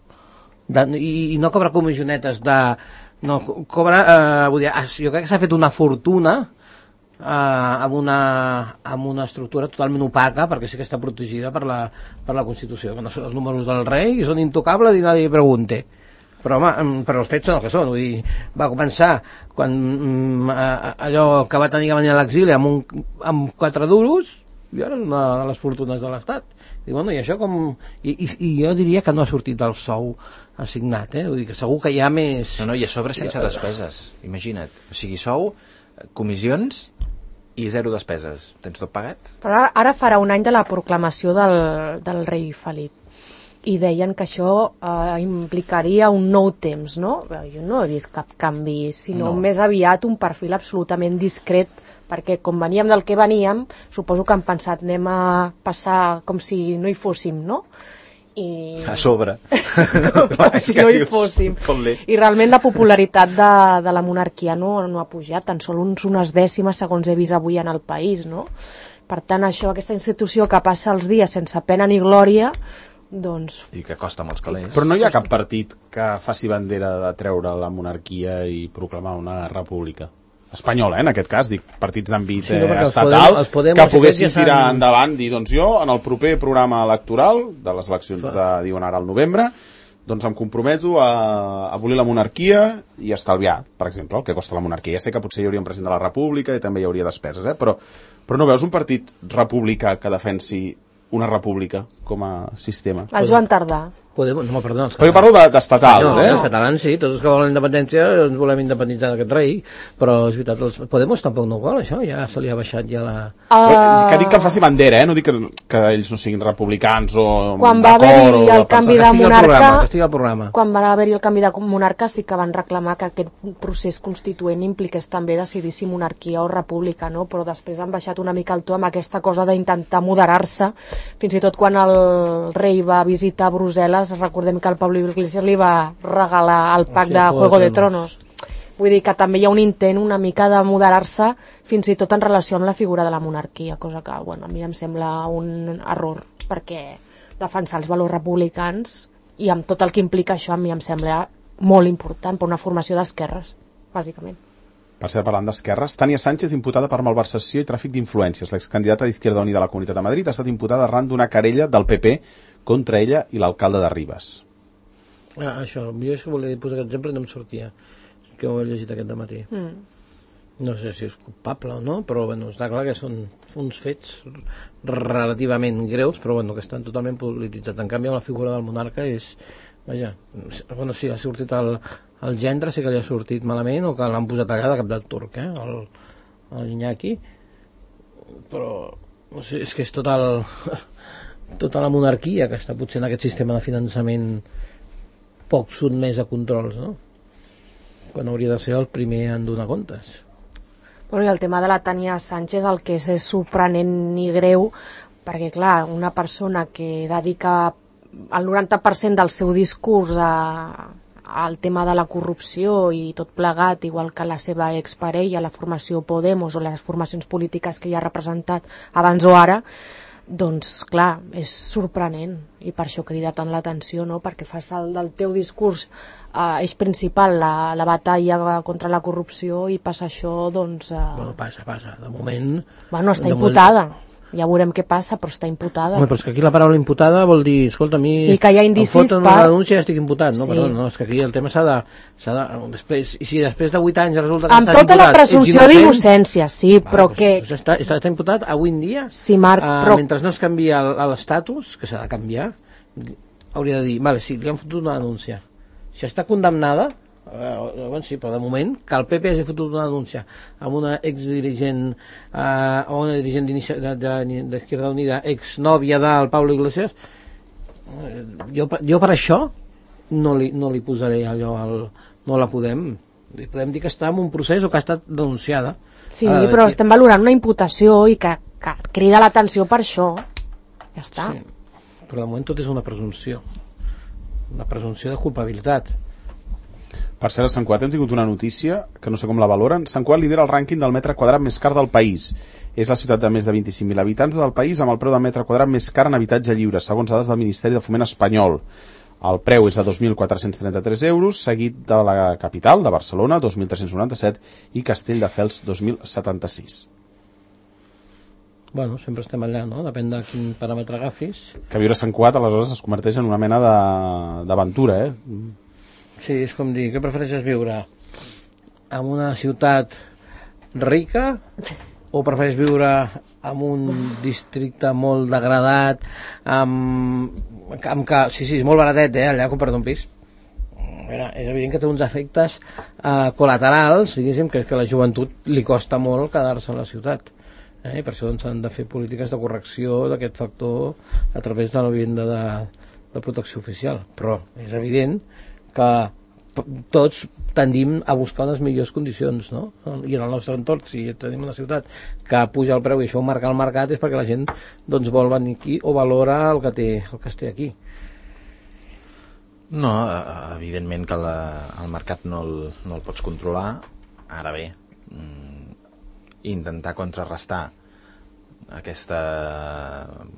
i, i no cobra comissionetes de, no, cobra, eh, vull dir, jo crec que s'ha fet una fortuna Uh, amb, una, amb una estructura totalment opaca, perquè sí que està protegida per la, per la Constitució, que no són els números del rei i són intocables i nadie pregunte, però home, però els fets són el que són. Vull dir, va començar quan um, allò que va tenir que venir a l'exili amb, un, amb quatre duros, i ara és una de les fortunes de l'Estat. I, bueno, i això com... I, i, i jo diria que no ha sortit del sou assignat, eh? Vull dir que segur que hi ha més... No, no, i a sobre sense despeses, imagina't. O sigui, sou, comissions i zero despeses. Tens tot pagat? Però ara, ara farà un any de la proclamació del, del rei Felip i deien que això eh, implicaria un nou temps, no? Jo no he vist cap canvi, sinó no. Més aviat un perfil absolutament discret, perquè com veníem del que veníem, suposo que han pensat anem a passar com si no hi fóssim, no? I... a sobre com, com si no hi fóssim. I realment la popularitat de, de la monarquia no, no ha pujat, tan sols unes dècimes segons he vist avui en el país, no? Per tant, això, aquesta institució que passa els dies sense pena ni glòria, doncs... I que costa molts calés. Però no hi ha cap partit que faci bandera de treure la monarquia i proclamar una república espanyola, eh, en aquest cas, dic, partits d'àmbit sí, no, eh, estatal, els podem, els que poguessin ja tirar endavant, dir, doncs jo, en el proper programa electoral de les eleccions de, diuen ara al novembre, doncs em comprometo a abolir la monarquia i estalviar, per exemple, el que costa la monarquia. Ja sé que potser hi hauria un president de la república i també hi hauria despeses, eh, però, però no veus un partit republicà que defensi una república com a sistema? El Joan Tardà. Podem, no, perdona, però jo parlo d'estatals, de, eh? Els catalans sí, tots els que volen la independència ens volem independitzar d'aquest rei, però és veritat, els Podemos tampoc no ho vol, això, ja se li ha baixat ja la... Uh... Que dic que faci bandera, eh? No dic que, que ells no siguin republicans o... Quan va haver-hi el canvi de monarca, programa, quan va haver-hi el canvi de monarca sí que van reclamar que aquest procés constituent impliqués també decidir si monarquia o república, no? Però després han baixat una mica el to amb aquesta cosa d'intentar moderar-se, fins i tot quan el rei va visitar Brussel·les, recordem que el Pablo Iglesias li va regalar el pack de Juego de Tronos. Vull dir que també hi ha un intent una mica de moderar-se fins i tot en relació amb la figura de la monarquia, cosa que, bueno, a mi em sembla un error, perquè defensar els valors republicans i amb tot el que implica això a mi em sembla molt important per una formació d'esquerres, bàsicament. Per ser parlant d'esquerres, Tania Sánchez, imputada per malversació i tràfic d'influències. L'excandidata d'Izquierda Unida a la Comunitat de Madrid ha estat imputada arran d'una querella del P P contra ella i l'alcalde de Ribes. Ah, això, jo és que volia posar aquest exemple i no em sortia, que ho he llegit aquest dematí. Mm. No sé si és culpable o no, però bueno, està clar que són uns fets relativament greus, però bueno, que estan totalment polititzats. En canvi, la figura del monarca és... Vaja, bueno, sí, ha sortit el, el gendre, sí que li ha sortit malament, o que l'han posat allà de cap del turc, eh, el, el Iñaki, però no sé, és que és tot el... tota la monarquia que està potser en aquest sistema de finançament poc sotmès a controls, no? Quan hauria de ser el primer en donar comptes. Bueno, i el tema de la Tania Sánchez el que és, és sorprenent i greu, perquè clar, una persona que dedica el noranta per cent del seu discurs a, al tema de la corrupció i tot plegat, igual que la seva exparella, la formació Podemos o les formacions polítiques que hi ha representat abans o ara, doncs clar, és sorprenent i per això crida tant l'atenció, no? Perquè fas el del teu discurs eh, eix principal la, la batalla contra la corrupció i passa això, doncs... Eh... Bueno, passa, passa, de moment... Bueno, està imputada. Moment... Ja veurem què passa, però està imputada. Home, però és que aquí la paraula imputada vol dir, escolta, a mi sí, que hi ha indicis em foten per... una denúncia i estic imputat, no? Sí. Perdó, no, és que aquí el tema s'ha de... S'ha de després, i si després de vuit anys resulta que amb estàs tota imputat, la presumpció d'innocència, sí, va, però doncs, que... Doncs està, està, està imputat avui en dia, sí, Marc, uh, però... mentre no es canvia l'estatus, que s'ha de canviar, hauria de dir, vale, sí, li han fotut una denúncia. Si està condemnada, Uh, bueno, sí, però de moment que el P P hagi fotut una denúncia amb una exdirigent uh, o una dirigent d'Izquierda Unida, exnòvia del Pablo Iglesias, uh, jo, jo per això no li, no li posaré allò al, no la podem li podem dir que està en un procés o que ha estat denunciada. Sí, uh, però estem valorant una imputació i que, que crida l'atenció per això, ja està. Sí, però de moment tot és una presumpció, una presumpció de culpabilitat. Per cert, a Sant Cugat hem tingut una notícia que no sé com la valoren. Sant Cugat lidera el rànquing del metre quadrat més car del país. És la ciutat de més de vint-i-cinc mil habitants del país amb el preu del metre quadrat més car en habitatge lliure, segons dades del Ministeri de Foment espanyol. El preu és de dos mil quatre-cents trenta-tres euros, seguit de la capital, de Barcelona, dos mil tres-cents noranta-set, i Castelldefels, dos mil setanta-sis. Bueno, sempre estem allà, no? Depèn de quin paràmetre agafis. Que viure a Sant Cugat, aleshores, es converteix en una mena d'aventura, eh? Sí, és com dir, què prefereixes viure? En una ciutat rica o prefereixes viure en un districte molt degradat, amb, amb que, sí, sí, és molt baratet, eh, allà comprar un pis. Mira, és evident que té uns efectes eh, col·laterals, diguéssim, que és que a la joventut li costa molt quedar-se a la ciutat. Eh? Per això doncs, han de fer polítiques de correcció d'aquest factor a través de la vivenda de, de protecció oficial. Però és evident que tots tendim a buscar unes millors condicions, no? I en el nostre entorn, si tenim una ciutat que puja el preu i això ho marca el mercat, és perquè la gent doncs, vol venir aquí o valora el que, té, el que es té aquí. No, evidentment que la, el mercat no el, no el pots controlar. Ara bé, intentar contrarrestar aquesta,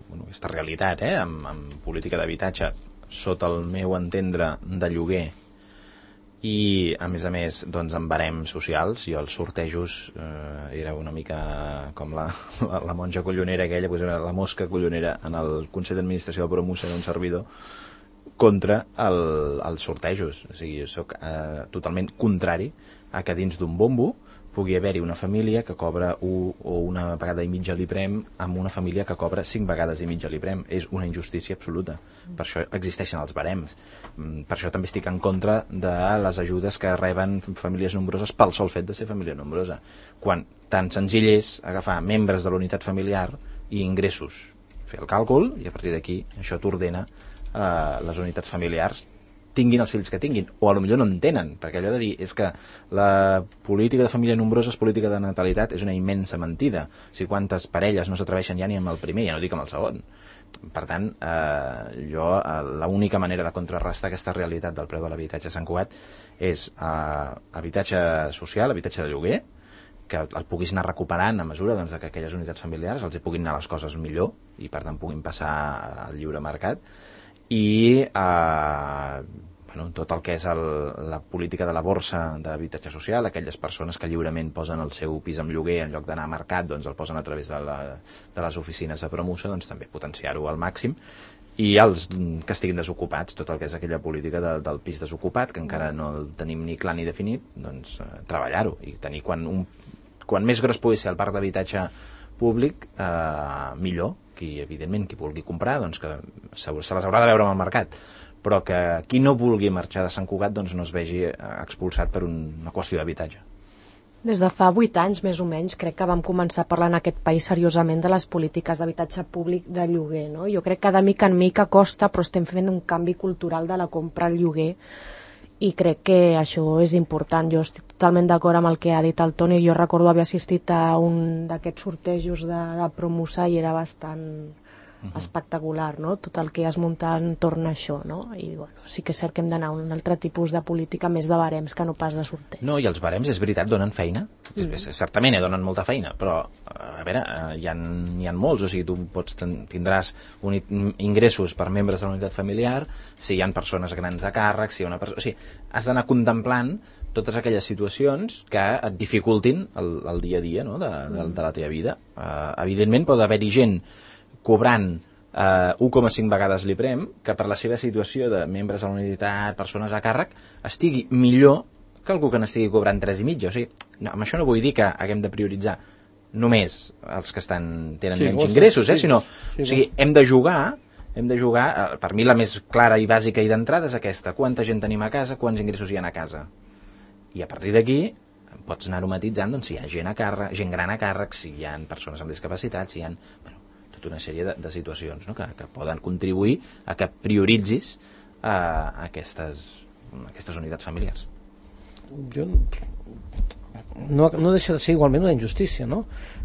bueno, aquesta realitat eh, amb, amb política d'habitatge sota el meu entendre de lloguer i a més a més doncs amb barems socials. Jo els sortejos eh, era una mica com la, la, la monja collonera aquella, pues era la mosca collonera en el Consell d'Administració de Promusa d'un servidor contra el, els sortejos. O sigui, jo soc eh, totalment contrari a que dins d'un bombo pugui haver-hi una família que cobra un o una vegada i mitja l'IPREM amb una família que cobra cinc vegades i mitja l'IPREM. És una injustícia absoluta. Per això existeixen els barems. Per això també estic en contra de les ajudes que reben famílies nombroses pel sol fet de ser família nombrosa. Quan tan senzill és agafar membres de la unitat familiar i ingressos. Fer el càlcul i a partir d'aquí això t'ordena eh, les unitats familiars tinguin els fills que tinguin, o a lo millor no en tenen, perquè allò de dir és que la política de família nombrosa és política de natalitat és una immensa mentida. O sigui, quantes parelles no s'atreveixen ja ni amb el primer, ja no dic amb el segon. Per tant, eh, jo eh, l'única manera de contrarrestar aquesta realitat del preu de l'habitatge a Sant Cugat és eh, habitatge social, habitatge de lloguer, que el puguis anar recuperant a mesura doncs, que aquelles unitats familiars els hi puguin anar les coses millor i per tant puguin passar al lliure mercat, i eh, bueno, tot el que és el, la política de la borsa d'habitatge social, aquelles persones que lliurement posen el seu pis en lloguer en lloc d'anar a mercat, doncs el posen a través de, la, de les oficines de Promusa, doncs també potenciar-ho al màxim, i els que estiguin desocupats, tot el que és aquella política de, del pis desocupat, que encara no el tenim ni clar ni definit, doncs eh, treballar-ho i tenir quan, un, quan més gros pugui ser el parc d'habitatge públic, eh, millor. Qui, evidentment, qui vulgui comprar, doncs que se, se les haurà de veure amb el mercat, però que qui no vulgui marxar de Sant Cugat doncs no es vegi expulsat per un, una qüestió d'habitatge. Des de fa vuit anys, més o menys, crec que vam començar a parlar en aquest país seriosament de les polítiques d'habitatge públic de lloguer, no? Jo crec que de mica en mica costa, però estem fent un canvi cultural de la compra al lloguer i crec que això és important. Jo estic totalment d'acord amb el que ha dit el Toni. Jo recordo haver assistit a un d'aquests sortejos de, de Promusa i era bastant uh-huh. espectacular, no? Tot el que es munta entorn a això, no? I bueno, sí que és cert que hem d'anar a un altre tipus de política més de barems que no pas de sorteig. No, i els barems, és veritat, donen feina. Mm. Certament eh, donen molta feina, però a veure, hi ha, hi ha molts, o sigui, tu pots ten, tindràs un, ingressos per membres de la unitat familiar, si hi ha persones grans a càrrec, si hi ha una persona... O sigui, has d'anar contemplant totes aquelles situacions que et dificultin el, el dia a dia, no? de, de, de la teva vida. Uh, evidentment pot haver-hi gent cobrant uh, u coma cinc vegades l'IPREM que per la seva situació de membres de la unitat, persones a càrrec, estigui millor que algú que n'estigui cobrant tres i mitja. O sigui, no, amb això no vull dir que haguem de prioritzar només els que estan, tenen sí, menys ingressos, eh? Sí, sinó, sí, o sigui, hem de jugar hem de jugar, per mi la més clara i bàsica i d'entrada és aquesta: quanta gent tenim a casa, quants ingressos hi ha a casa, i a partir d'aquí pots anar-ho matitzant, doncs, si hi ha gent a càrrec, gent gran a càrrec, si hi ha persones amb discapacitats, si hi ha, bueno, tota una sèrie de, de situacions, no? que, que poden contribuir a que prioritzis uh, aquestes, aquestes unitats familiars. Jo no, no deixa de ser igualment una injustícia, no?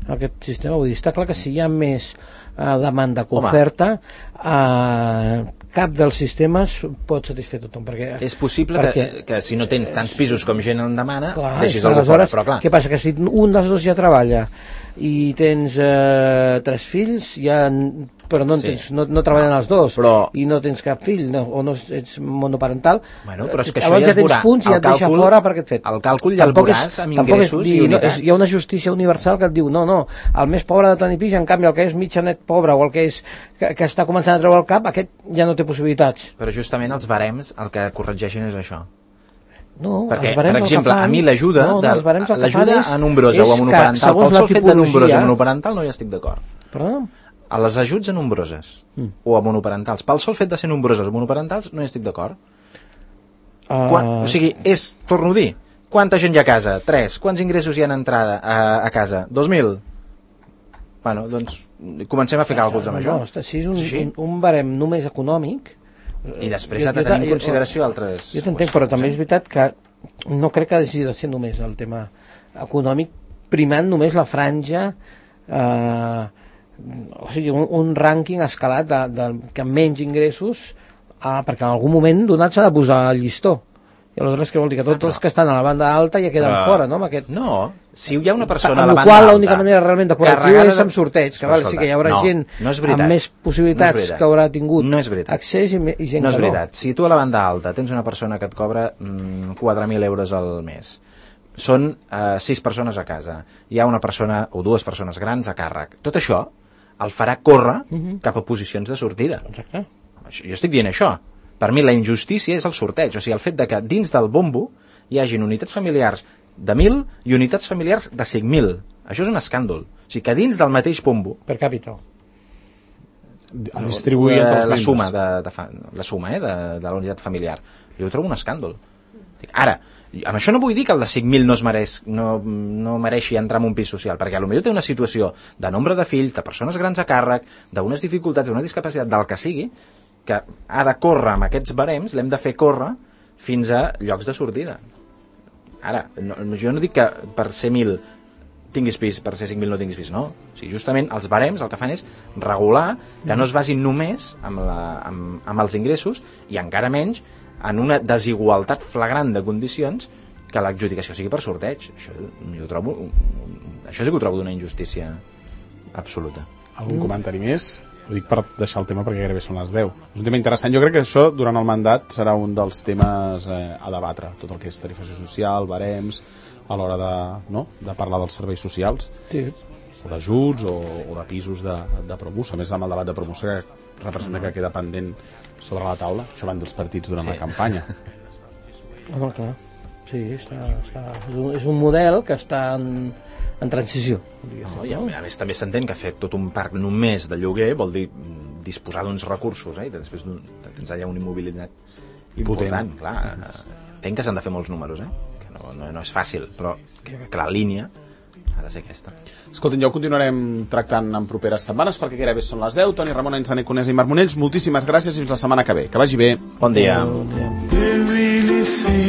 Aquest sistema, vull dir, està clar que si hi ha més eh, demanda que oferta, eh, cap dels sistemes pot satisfer tothom, perquè és possible perquè, que, que si no tens tants pisos com gent en demana, clar, deixis algú fora, però clar. Què passa? Que si un dels dos ja treballa i tens eh, tres fills, ja, però no, sí. tens, no, no treballen els dos, però... i no tens cap fill, no, o no ets monoparental, bueno, però és que llavors això ja, ja tens punts i ja et deixa fora per aquest fet. El càlcul ja el veuràs amb ingressos és, i unitats. No, és, hi ha una justícia universal que et diu, no, no, el més pobre de tenir pis, en canvi el que és mitjanet pobre o el que, és, que, que està començant a treure el cap, aquest ja no té possibilitats. Però justament els barems el que corregeixen és això. No, perquè, per exemple, fan... a mi l'ajuda no, no, l'ajuda a nombrosa o a monoparental, pel sol fet de nombrosa o monoparental no hi estic d'acord. Perdó? A les ajuts a nombroses mm. o a monoparentals, pel sol fet de ser nombroses o monoparentals no hi estic d'acord. Uh... Quan, o sigui, és, torno a dir, quanta gent hi ha a casa? Tres. Quants ingressos hi ha entrada a, a casa? Dos mil? Bueno, doncs comencem a fer càlculs amb no, això. No, si és un, un, un barem només econòmic, i després ha de tenir en consideració altres... Jo t'entenc, però també és veritat que no crec que hagi de ser només el tema econòmic, primant només la franja, eh, o sigui, un, un rànquing escalat de, de, que menys ingressos, eh, perquè en algun moment donat s'ha de posar el llistó. I aleshores què vol dir? Que tots els que estan a la banda alta ja queden uh, fora, no? Amb aquest... No, si hi ha una persona a la banda qual, alta... l'única manera realment de correctiu és amb sorteig, que val, escolta, sí que hi haurà no, gent no amb més possibilitats no que haurà tingut no accés i, i gent no és que veritat. No. Si tu a la banda alta tens una persona que et cobra mm, quatre mil euros al mes, són eh, sis persones a casa, hi ha una persona o dues persones grans a càrrec, tot això el farà córrer uh -huh. cap a posicions de sortida. Exacte. Jo estic dient això. Per mi la injustícia és el sorteig, o sigui, el fet de que dins del bombo hi hagin unitats familiars de mil i unitats familiars de cinc mil. Això és un escàndol. O sigui, que dins del mateix bombo... Per càpita. A distribuir entre els la suma, de, de, la suma eh, de, de la unitat familiar. Jo ho trobo un escàndol. Ara, amb això no vull dir que el de cinc mil no, es mereix, no, no mereixi entrar en un pis social, perquè potser té una situació de nombre de fills, de persones grans a càrrec, d'unes dificultats, d'una discapacitat, del que sigui, que ha de córrer amb aquests barems, l'hem de fer córrer fins a llocs de sortida. Ara, no, jo no dic que per ser mil tinguis pis, per ser cinc mil no tinguis pis, no. O sigui, justament els barems el que fan és regular que no es basin només amb, la, amb, amb els ingressos i encara menys en una desigualtat flagrant de condicions que l'adjudicació sigui per sorteig. Això, jo trobo, això sí que ho trobo d'una injustícia absoluta. Algun mm. comentari més? Ho dic per deixar el tema perquè gairebé són les deu. És un tema interessant. Jo crec que això durant el mandat serà un dels temes eh, a debatre. Tot el que és tarifació social, barems, a l'hora de, no? de parlar dels serveis socials. Sí. O d'ajuts o, o de pisos de, de promús. A més amb el debat de promús que representa que queda pendent sobre la taula. Això van dels partits durant sí. la campanya. Home, clar. Sí, està, està, és, un, és un model que està en, en transició. No, i a més també s'entén que fer tot un parc només de lloguer vol dir disposar d'uns recursos, eh? I després tens allà un immobilitzat important. Potent. Clar, entenc que s'han de fer molts números, eh? Que no, no, no és fàcil, però que, que la línia ha de ser aquesta. Escolten, ja ho continuarem tractant en properes setmanes perquè gairebé són les deu. Toni Ramon, Enzané Conés i Marc Monells, moltíssimes gràcies i fins la setmana que ve. Que vagi bé. Bon dia. Bon dia.